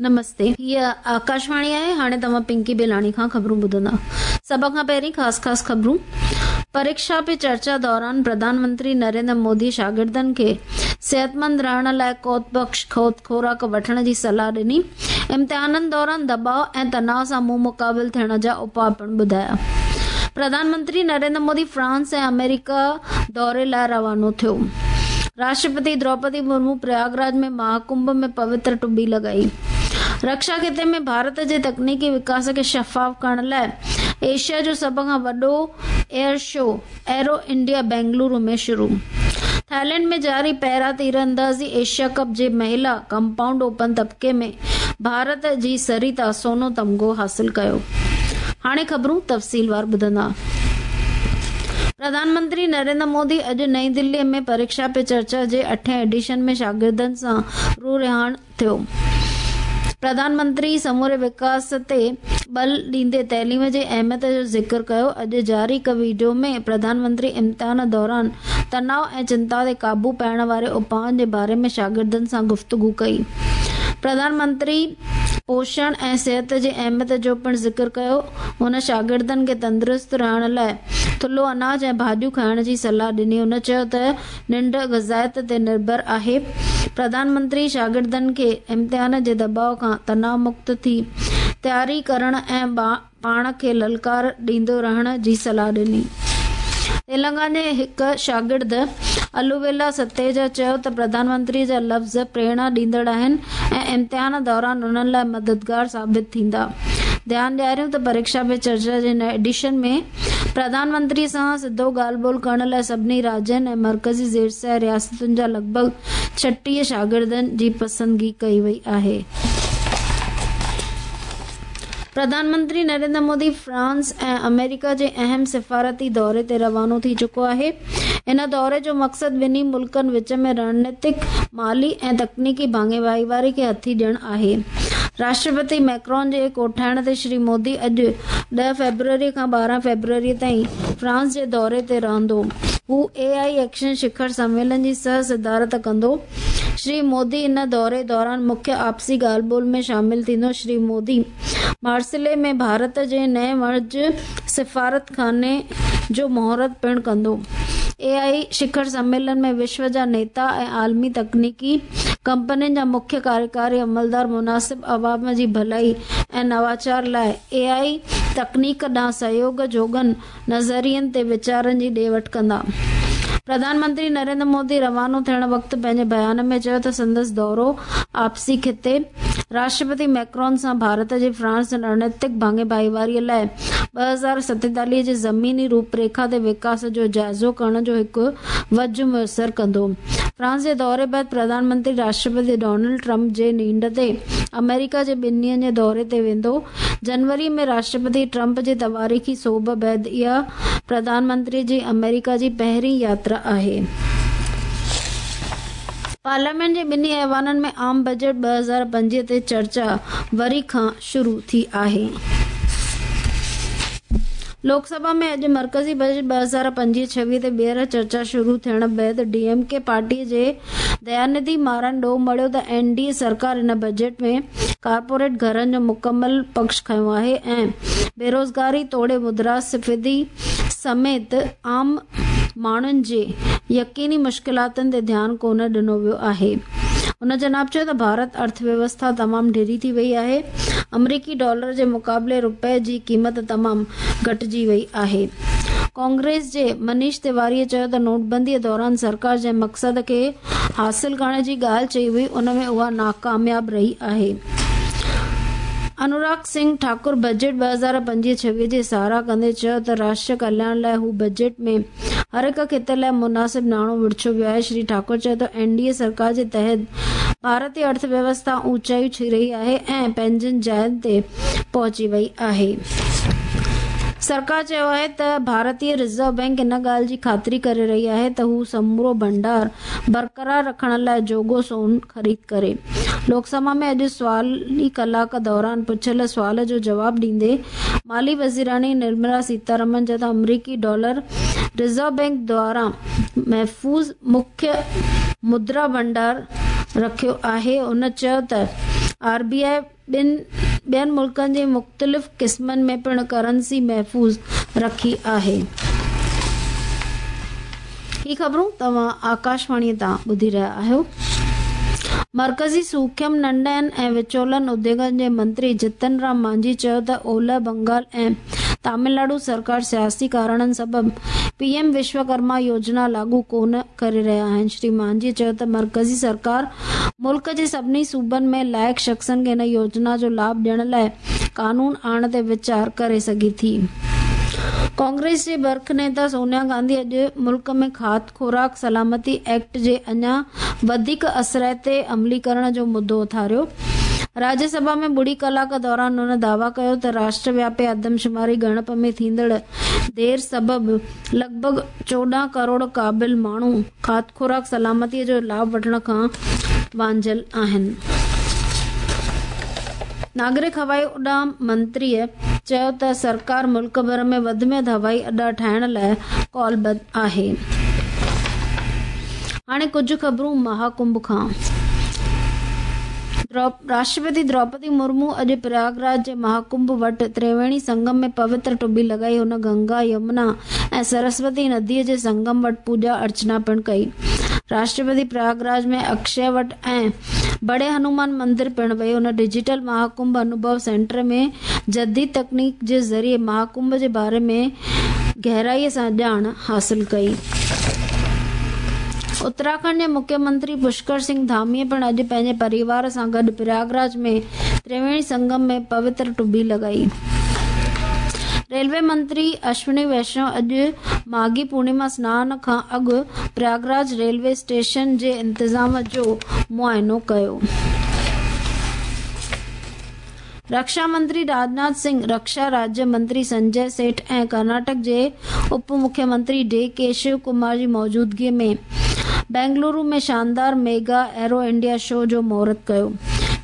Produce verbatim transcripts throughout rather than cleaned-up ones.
نمستي، هيء آڪاشواڻي آهي. هاڻي توهان پنڪي بيلاڻي کان خبرون ٻڌندا. سڀ کان پهرين خاص خاص خبرون. پريڪشا پي چرچا دوران پرڌان منتري نريندر مودي شاگردن کي صحتمند رهڻ لاء قوت بخش خوراڪ وٺڻ جي صلاح ڏني. امتحانن دوران دٻاء ۽ تناء سان منهن مقابل ٿيڻ جا اپاء پڻ ٻڌايا. پرڌان منتري نريندر مودي فرانس ۽ آمريڪا دوري لاء روانو ٿيو. راشٽرپتي دروپدي مرمو پرياگراج ۾ مهاڪنڀ ۾ پوتر ٽٻي لڳائي. رڪشا خطي ۾ ڀارت جي تڪنيڪي وڪاس کي شفاف ڪرڻ لاء ايشيا جو سڀ کان وڏو air show aero India Bengaluru ۾ شروع. ٿائيلينڊ ۾ جاري پيرا تيراندازي ايشيا ڪپ جي مهلا ڪمپائونڊ اوپن طبقي ۾ ڀارت جي سريتا سونو تمغو حاصل ڪيو. هاڻي خبرون تفصيلوار ٻڌندا. پرڌان منتري نريندر مودي اڄ نئين دلي ۾ پريڪشا پي چرچا جي اٺين ايڊيشن ۾ شاگردن سان روح رهاڻ ٿيو. پرڌان منتري سموري وڪاس تي ٻل ڏيندي تعليم جي اهميت جو ذڪر ڪيو. اڄ جاري هڪ وڊيو ۾ پرڌان منتري امتحان دوران تناء ۽ چنتا تي قابو پائڻ واري اپائن جي باري ۾ شاگردن سان گفتگو ڪئي. پرڌان منتري پوشڻ ۽ صحت جي اهميت جو پڻ ذڪر ڪيو. هن شاگردن کي تندرست رهڻ لاء ٿلهو اناج ۽ ڀاڄيون کائڻ جي صلاح ڏني. هن چيو ته ننڊ غذائيت تي نرڀر آهي. پرڌان منتري شاگردن کي امتحان جي دٻاء کان تناء مڪت ٿي تياري ڪرڻ ۽ پاڻ کي للڪار ڏيندو رهڻ جي صلاح ڏني. تيلنگانا جي هڪ شاگرد الوويلا ستيجا چيو ته پرڌان منتري جا لفظ پريرڻا ڏيندڙ آهن ۽ امتحان دوران انهن لاء مددگار ثابت ٿيندا. ڌيان ڏياريون ته پريڪشا پي چرچا جي هن ايڊيشن ۾ پرڌان منتري سان سڌو ڳالهه ٻولهه ڪرڻ لاء سڀني راجين ۽ مرڪزي زيرسايه رياستن جا لڳ ڀڳ ڇٽيهه شاگردن جي پسندگي ڪئي وئي آهي. پرڌان منتري نريندر مودي فرانس ۽ آمريڪا جي اهم سفارتي دوري تي روانو ٿي چڪو آهي. ان دوري جو مقصد ٻنهي ملڪن وچ ۾ رڻنيتڪ، مالي ۽ تڪنيڪي ڀاڱيواري کي هٿي ڏيڻ آهي. راشٽرپتي ميڪرون جي ڪوٺائڻ تي شري مودي اڄ ڏهه فيبروري کان ٻارهن فيبروري تائين فرانس جي دوري تي رهندو. هو اي I action شکر سميلن جي سهه صدارت ڪندو. شري مودي ان دوري دوران مکيه آپسي ڳالهه ٻولهه ۾ شامل ٿيندو. شري مودي مارسلي ۾ ڀارت جي نئين وڻج سفارتخاني جو مهورت پڻ ڪندو. اي I شکر سميلن ۾ وشو جا نيتا ۽ عالمي تڪنيڪي ڪمپنين جا مکيه ڪاريڪاري عملدار مناسب عوام جي ڀلائي ۽ نواچار لاء اي I تڪنيڪ ڏانهن سهيوڳ جوڳن نظرين تي ويچارن جي ڏي وٺ ڪندا. پرڌان منتري نريندر مودي روانو ٿيڻ وقت پنهنجي بيان ۾ چيو ته سندس دورو آپسي خطي راشٽرپتي ميڪرون سان ڀارت جي فرانس رڻنيتڪ ڀاڱي ڀائيواري لاء ٻه هزار ستيتاليهه جي زميني روپريکا تي وڪاس جو جائزو ڪرڻ جو هڪ وجهه ميسر ڪندو. فرانس جي دوري بعد پرڌان منتري راشٽرپتي ڊونلڊ ٽرمپ جي نينڍ تي آمريڪا جي ٻن ڏينهن جي دوري تي ويندو. جنوري ۾ راشٽرپتي ٽرمپ جي تواريخي سوڀ بعد اها پرڌان منتري جي آمريڪا جي پهرين ياترا آهي. پارليامينٽ جي ٻنهي ايوانن ۾ عام بجيٽ ٻه هزار پنجويهه تي چرچا وري کان شروع ٿي آهي. لوڪ سڀا ۾ اڄ مرڪزي بجيٽ ٻه هزار پنجويهه ڇويهه تي ٻيهر چرچا شروع ٿيڻ بعد ڊي ايم ڪي پارٽي جي ديانڌي مارن ڏوهه مڙهيو ته اين ڊي اي سرڪار ان بجيٽ ۾ ڪارپوريٽ گهرن جو مڪمل پڪش کنيو آهي ۽ بيروزگاري توڙي مدراسفيدي سميت عام ماڻهن جي يقيني مشڪلاتن تي ڌيان ڪونه ڏنو ويو آهي. هن جناب چيو ته ڀارت ارٿ ويوسٿا تمام ڍري ٿي وئي آهي، آمريڪي ڊالر جي مقابلي رپئي جي قيمت تمام گهٽجي وئي آهي. ڪانگريس جي منيش تيواري چيو ته نوٽبندي دوران سرڪار جنهن مقصد کي حاصل ڪرڻ جي ڳالهه چئي هئي ان ۾ اها ناڪامياب رهي آهي. انوراگ سنگهه ٺاڪر بجيٽ ٻه هزار پنجويهه ڇويهه جي ساراهه ڪندي چيو ته راشٽر ڪلياڻ لاء هو بجيٽ ۾ هر هڪ خطي لاء مناسب ناڻو ورڇيو ويو آهي. شري ٺاڪر چيو ته اين ڊي اي سرڪار جي تحت ڀارتي ارٿ ويوسٿا اوچايون ڇهي رهي آهي ۽ پنهنجين جاين تي پهچي وئي آهي. سرڪار چيو آهي ته ڀارتي رزرو بئنڪ ان ڳالهه جي خاطري ڪري رهي آهي ته هو سمورو ڀنڊار برقرار رکڻ لاء جوڳو سون خريد ڪري. لوڪ سڀا ۾ اڄ سوالي ڪلاڪ دوران پڇيل سوال جو جواب ڏيندي مالي وزيراڻي نرملا سيتارمن چيو ته آمريڪي ڊالر رزرو بئنڪ دواران محفوظ مکيه مدرا ڀنڊار رکيو آهي. هن چيو ته آر بي I ٻين ملڪن جي مختلف قسمن ۾ پڻ ڪرنسي محفوظ رکي آهي. هي خبرون توهان آڪاشواڻي تان ٻڌي رهيا آهيو. مرڪزي سوکم، ننڍن ۽ وچولن اديوگن جي منتري جتن رام مانجهي چيو ته اولهه بنگال ۽ تامل ناڊو سرڪار سياسي ڪارڻن سبب پي ايم وشوڪرما يوجنا لاڳو ڪونه ڪري رهيا آهن. شري مانجهي چيو ته مرڪزي سرڪار ملڪ جي سڀني صوبن ۾ لائق شخصن کي هن يوجنا جو لاڀ ڏيڻ لاءِ قانون آڻڻ تي ويچار ڪري سگهي ٿي. ڪانگريس جي برک نيتا سونيا گانڌي اڄ ملڪ ۾ کاڌ خوراڪ سلامتي ايڪٽ جي اڃا وڌيڪ اثرائتي عمليڪرڻ جو مدعو اٿاريو. راجيه سڀا ۾ ٻڙي ڪلاڪ دوران هن دعويٰ ڪيو ته راشٽر وياپي آدمشماري ڳڻپ ۾ ٿيندڙ دير سبب لڳ ڀڳ چوڏهن ڪروڙ قابل ماڻهو کاڌ خوراڪ سلامتي جو لاڀ وٺڻ کان وانجهيل آهن. ناگرڪ هوائي اڏام منتريءَ چيو ته سرڪار ملڪ ڀر ۾ وڌ ۾ وڌ هوائي اڏا ٺاهڻ لاءِ ڪالبڌ آهي. هاڻي ڪجهه خبرون مهاڪنڀ کان. راشٽرپتي دروپدي مرمو اڄ پرياگراج جي مهاڪنڀ وٽ ترويڻي سنگم ۾ پوتر ٽٻي لڳائي. هن گنگا، يمنا ۽ سرسوتي نديءَ جي سنگم وٽ پوڄا ارچنا پڻ ڪئي. راشٽرپتي پرياگراج ۾ اڪشي وٽ ۽ بڙي هنومان مندر پڻ وئي. هن ڊجيٽل مهاڪنڀ انوڀو سينٽر ۾ جديد تڪنيڪ جي ذريعي مهاڪنڀ جي باري ۾ گهرائيءَ سان ڄاڻ حاصل ڪئي. اتراکنڊ جي مکيه منتري پشڪر سنگهه ڌاميءَ پڻ اڄ پنهنجي پريوار سان گڏ پرياگراج ۾ ترويڻي سنگم ۾ پوتر ٽٻي لڳائي. ريلوي منتري اشوني ويشنو اڄ ماگهي پورنما سنان کان اڳ پرياگراج ريلوي اسٽيشن جي انتظام جو معائنو ڪيو. رڪشا منتري راجناٿ سنگهه، رڪشا راجيه منتري سنجي سيٺ ۽ ڪرناٽڪ جي اپ مکيه منتري ڊي ڪي شو ڪمار جي موجودگيءَ ۾ بينگلورو ۾ شاندار ميگا ايرو انڊيا شو جو مهورت ڪيو.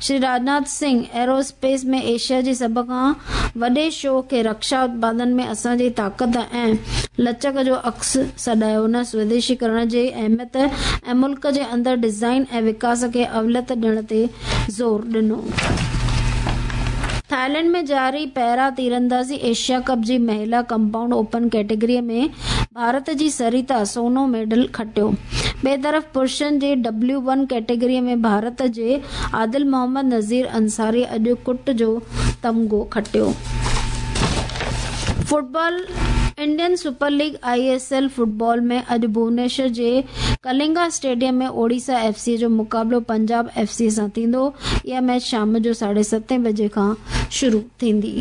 شري راجناٿ سنگهه ايرواسپيس ۾ ايشيا جي سڀ کان وڏي شو کي رڪشا اتپادن ۾ اسان جي طاقت ۽ لچڪ جو عڪس سڏايو. هن سوديشيڪرڻ جي اهميت ۽ ملڪ جي اندر ڊزائن ۽ وڪاس کي اوليت ڏيڻ تي زور ڏنو. ٿائيلينڊ ۾ جاري پيرا تيراندازي ايشيا ڪپ جي مهلا ڪمپائونڊ اوپن ڪيٽيگري ۾ ڀارت جي سريتا سونو ميڊل کٽيو. ٻئي طرف پرشن جي ڊبليو ون ڪيٽيگري ۾ ڀارت جي عادل محمد نذير انصاري اڄ ڪٽ جو تمغو کٽيو. Football Indian super league I S L football ۾ اڄ ڀونيشور جي Kalinga stadium ۾ Odisha F C جو مقابلو پنجاب ايف سي سان ٿيندو. اها ميچ شام جو ساڍي ستين بجي کان شروع ٿيندي.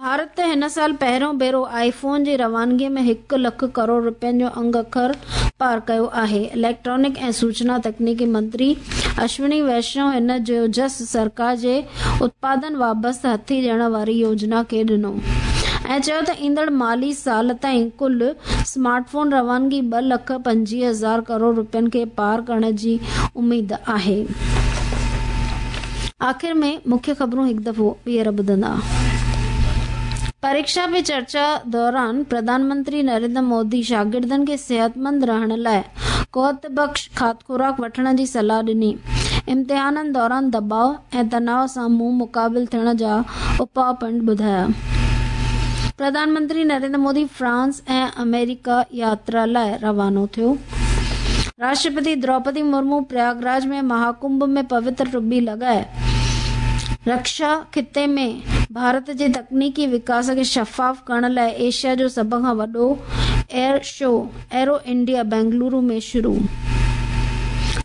ڀارت هن سال پهريون ڀيرو آئي فون جي روانگيءَ ۾ هڪ لک ڪروڙ رپين جو انگ اکر پار ڪيو آهي. اليڪٽرانڪ ۽ سوچنا تڪنيڪي منتري اشوني ويشنو هن جو جس سرڪار جي اتپادن وابسته هٿي ڏيڻ واري يوجنا کي ڏنو ۽ چيو ته ايندڙ مالي سال تائين ڪل اسمارٽ فون روانگي ٻه لک پنجويهه هزار ڪروڙ رپين کي پار ڪرڻ جي اميد آهي. آخر ۾ مکيه خبرون هڪ دفعو ٻيهر ٻڌندا. پريڪشا پي چرچا دوران پرڌان منتري نريندر مودي شاگردن کي صحتمند رهڻ لاءِ قوت بخش کاڌ خوراڪ وٺڻ جي صلاح ڏني. امتحانن دوران دٻاءُ ۽ تناءُ سان منهن مقابل ٿيڻ جا اپاءُ پڻ ٻڌايا. پرڌان منتري نريندر مودي فرانس ۽ آمريڪا ياترا لاءِ روانو ٿيو. راشٽرپتي دروپدي مرمو پرياگراج ۾ مهاڪنڀ ۾ پوتر ٽٻي لڳائي رڪشا خطي ۾ ڀارت جي تڪنيڪي وڪاس کي شفاف ڪرڻ لاءِ ايشيا جو سڀ کان وڏو air show aero India Bengaluru ۾ شروع.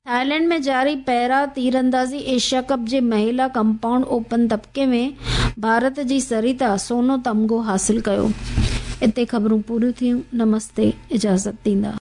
ٿائيلينڊ ۾ جاري پيرا تيراندازي ايشيا ڪپ جي مهلا ڪمپائونڊ اوپن طبقي ۾ ڀارت جي سريتا سونو تمغو حاصل ڪيو. اتي خبرون پوريون ٿيون. نمستي، اجازت ڏيندا.